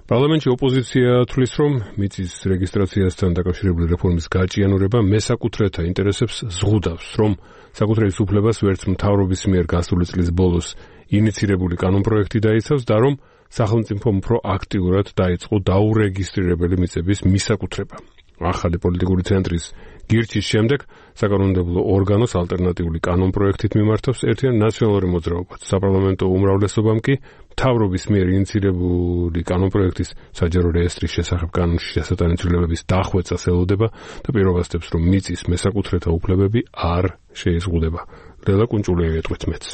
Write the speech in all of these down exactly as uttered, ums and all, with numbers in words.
პარლამენტში ოპოზიცია თვლის, რომ მიწის რეგისტრაციასთან დაკავშირებული რეფორმის გაჭიანურება მესაკუთრეთა ინტერესებს ზღუდავს, რომ საკუთრების უფლებას ვერც მთავრობის მიერ გასული წლის ბოლოს ინიცირებული კანონპროექტი დაიცავს და რომ სახელმწიფომ უფრო აქტიურად დაიწყო დაურეგისტრირებელი მიწების მისაკუთრება. ახალი პოლიტიკური ცენტრის გირჩის შემდეგ საკანონმდებლო ორგანოს ალტერნატიული კანონპროექტით მიმართავს ერთიან ნაციონალური მოძრაობაც. საპარლამენტო უმრავლესობამ კი მთავრობის მიერ ინიცირებული კანონპროექტის საჯარო რეესტრის შესახებ კანონში შესატანი ცვლილებების დახვეწას ელოდება და პირობასდებს, რომ მიწის მესაკუთრეთა უფლებები არ შეიზღუდება. ლელა კუნჭულიანი ეტყვით მეც.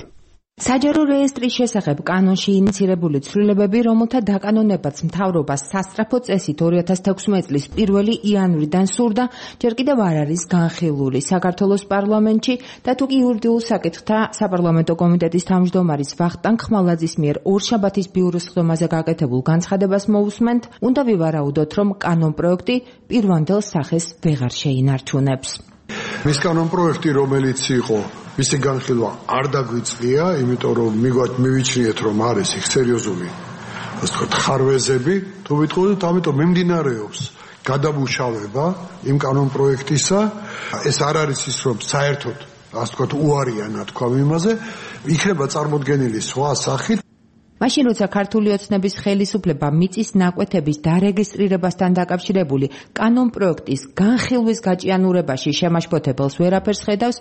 საჯარო რეესტრის შესახებ კანონში ინიცირებული ცვლილებები, რომელთა დაკანონებაც მთავრობას სასწრაფო წესით ორი ათას თექვსმეტი წლის პირველი იანვრიდან სურდა, ჯერ კიდევ არ არის განხილული საქართველოს პარლამენტში და თუ კი იურიდიულ საკითხთა საპარლამენტო კომიტეტის თავმჯდომარის ვახტანგ ხმალაძის მიერ ორშაბათის ბიუროს ხდომაზე გაკეთებულ განცხადებას მოусმენთ, უნდა ვივარაუდოთ, რომ კანონპროექტი პირვანდელ სახეს ვეღარ შეინარჩუნებს. მის კანონპროექტი, რომელიც იყო მისი განხილვა არ დაგვიწყია, იმიტომ რომ მივიჩნიეთ, რომ არის იქ სერიოზული, ასე ვთქვათ, ხარვეზები, თუ ვიტყოდით, ამიტომ მიმდინარეობს გადამუშავება იმ კანონპროექტისა. ეს არ არის ის, რომ საერთოდ, ასე ვთქვათ, უარია ნათქვამ იმაზე, იქნება წარმოდგენილი სხვა სახით. მაშინ როცა ქართული ოცნების ხელისუფლება მიწის ნაკვეთების დარეგისტრირებასთან დაკავშირებული კანონპროექტის განხილვის გაჭიანურებაში შემაშფოთებელს ვერაფერს ხედავს,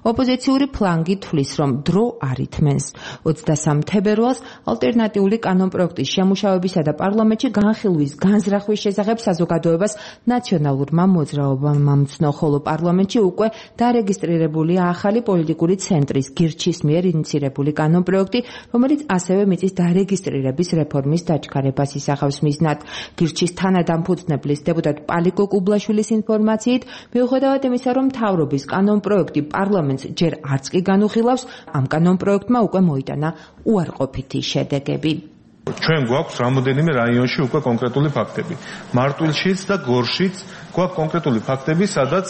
ოპოზიციური ფლანგი თვლის, რომ დრო არ ითმენს. ოცდასამი თებერვალს ალტერნატიული კანონპროექტის შემუშავებისა და პარლამენტში განხილვის განზრახვის შესახებ საზოგადოებას ნაციონალურმა მოძრაობამ ამცნო, ხოლო პარლამენტში უკვე დარეგისტრირებულია ახალი პოლიტიკური ცენტრის გირჩის მიერ ინიცირებული კანონპროექტი, რომელიც ასევე მიწის დარეგისტრირების რეფორმის დაჩქარებას ისახავს მიზნად. გირჩის თანადამფუძნებლის დეპუტატ პალიკო კუბლაშვილის ინფორმაციით, მიუხედავად იმისა, რომ მთავრობის კანონპროექტი პარლამენტს ჯერ არც კი განუხილავს, ამ კანონპროექტმა უკვე მოიტანა უარყოფითი შედეგები. ჩვენ გვაქვს რამოდენიმე რაიონში უკვე კონკრეტული ფაქტები. მარტვილშიც და გორშიც გვაქვს კონკრეტული ფაქტები, სადაც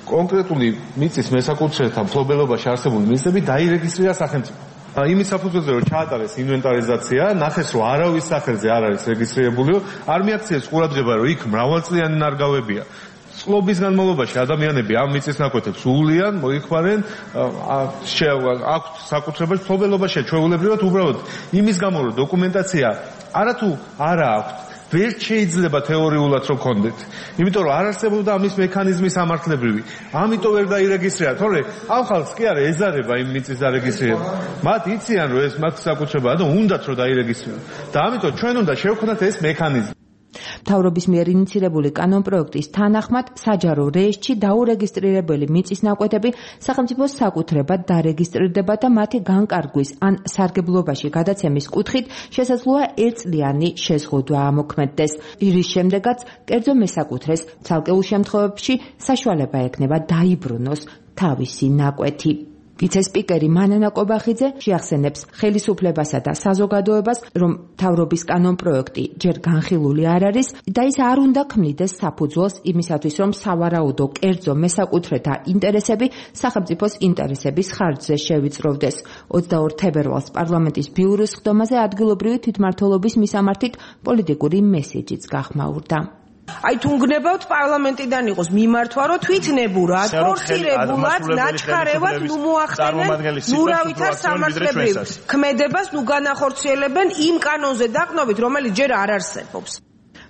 კონკრეტული მიწის მესაკუთრეთა მფლობელობაში არსებული მიწები დაირეგისტრირა სახელმწიფო. იმის საფუძველზე რომ ჩაატარეს ინვენტარიზაცია, ნახეს რომ არავის სახელზე არ არის რეგისტრირებული, არ მიაქციეს ყურადღება, რომ იქ მრავალწლიანი ნარგავებია. წყლობის განმავლობაში ადამიანები ამ მიწის ნაკვეთებს უვლიან, მოიხმარენ, აქვთ საკუთრებაში მფლობელობაში ჩვეულებრივად უბრალოდ იმის გამო რომ დოკუმენტაცია არათუ არა აქვთ, ვერ შეიძლება თეორიულად რომ გქონდეთ. იმიტომ რომ არ არსებობდა ამის მექანიზმი სამართლებრივი. ამიტომ ვერ დაირეგისტრირა, თორე ამ ხალხს კი არა ეზარება იმ მიწის დარეგისტრირება. მათ იციან რომ ეს მათ საკუთრებაა და უნდათ რომ დაირეგისტრირონ. და ამიტომ ჩვენ უნდა შევქმნათ ეს მექანიზმი. მთავრობის მიერ ინიცირებული კანონპროექტის თანახმად საჯარო რეესტრში დაურეგისტრირებელი მიწის ნაკვეთები სახელმწიფოს საკუთრებად დარეგისტრირდება და მათი განკარგვის ან სარგებლობაში გადაცემის კუთხით შესაძლოა ერთწლიანი შეზღუდვა ამოქმედდეს. რის შემდეგაც კერძო მესაკუთრეს ცალკეულ შემთხვევებში საშუალება ექნება დაიბრუნოს თავისი ნაკვეთი. ვიცე-სპიკერი მანანა კობახიძე შეახსენებს ხელისუფლებასა და საზოგადოებას, რომ მთავრობის კანონპროექტი ჯერ განხილული არ არის და ის არ უნდა ქმნიდეს საფუძველს იმისათვის, რომ სავარაუდო კერძო მესაკუთრეთა ინტერესები სახელმწიფოს ინტერესების ხარჯზე შევიწროვდეს. ოცდაორ თებერვალს პარლამენტის ბიუროს ხდომაზე ადგილობრივი თვითმმართველობის მისამართით პოლიტიკური მესეჯიც გახმაურდა. აი თუ გნებავთ პარლამენტიდან იყოს მიმართვა, რომ თვითნებურად, ფორსირებულად, ნაჩქარევად ნუ მოახდენენ, ნუ რა ვითარ სამართლებრივ ქმედებას ნუ განახორციელებენ იმ კანონზე დაყნობით, რომელიც ჯერ არ არსებობს.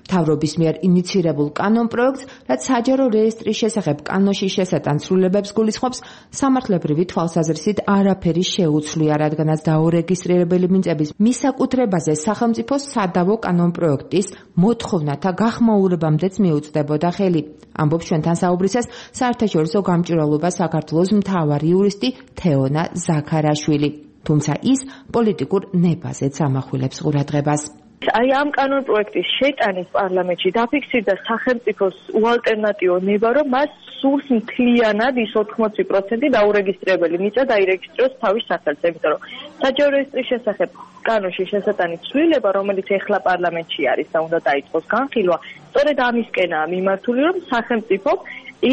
მთავრობის მიერ ინიცირებულ კანონპროექტს, რაც საჯარო რეესტრის შესახებ კანონში შესატან ცვლილებებს გულისხმობს, სამართლებრივი თვალსაზრისით არაფერი შეუცვლია, რადგანაც დაურეგისტრირებელი მიწების მისაკუთრებაზე სახელმწიფოს სადავო კანონპროექტის მოთხოვნათა გახმაურებამდეც მიუწვდებოდა ხელი. ამბობს ჩვენთან საუბრისას საერთაშორისო გამჭვირვალობა საქართველოს მთავარი იურისტი თეონა ზაქარაშვილი. თუმცა ის პოლიტიკურ ნებაზეც ამახვილებს ყურადღებას. აი ამ კანონპროექტის შეტანის პარლამენტში დაფიქსირდა სახელმწიფოს უალტერნატივო ნება, რომ მას სურს მთლიანად ის ოთხმოცი პროცენტი დაურეგისტრირებელი მიწა დაირეგისტრიროს თავის სახელზე, იმიტომ რომ საჯარო რეესტრის შესახებ კანონში შესატანი ცვლილება, რომელიც ეხლა პარლამენტში არის და უნდა დაიწყოს განხილვა, სწორედ ამისკენაა მიმართული, რომ სახელმწიფო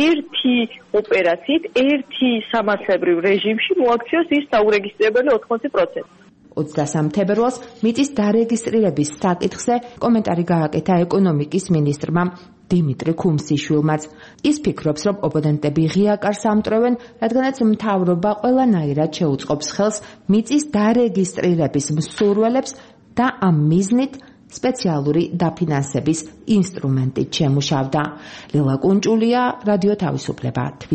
ერთი ოპერაციით, ერთი სამართლებრივ რეჟიმში მოაქციოს ის დაურეგისტრირებელი ოთხმოცი პროცენტი. ოცდასამი თებერვალს მიწის დარეგისტრირების საკითხზე კომენტარი გააკეთა ეკონომიკის მინისტრმა დიმიტრი ქუმსიშვილმაც. ის ფიქრობს, რომ ოპონენტები ღია კარს ამტვრევენ, რადგანაც მთავრობა ყველანაირად შეუწყობს ხელს მიწის დარეგისტრირების მსურველებს და ამ მიზნით სპეციალური დაფინანსების ინსტრუმენტით შემუშავდა. ლილა კუნჭულია, რადიო თავისუფლება, თბილისი.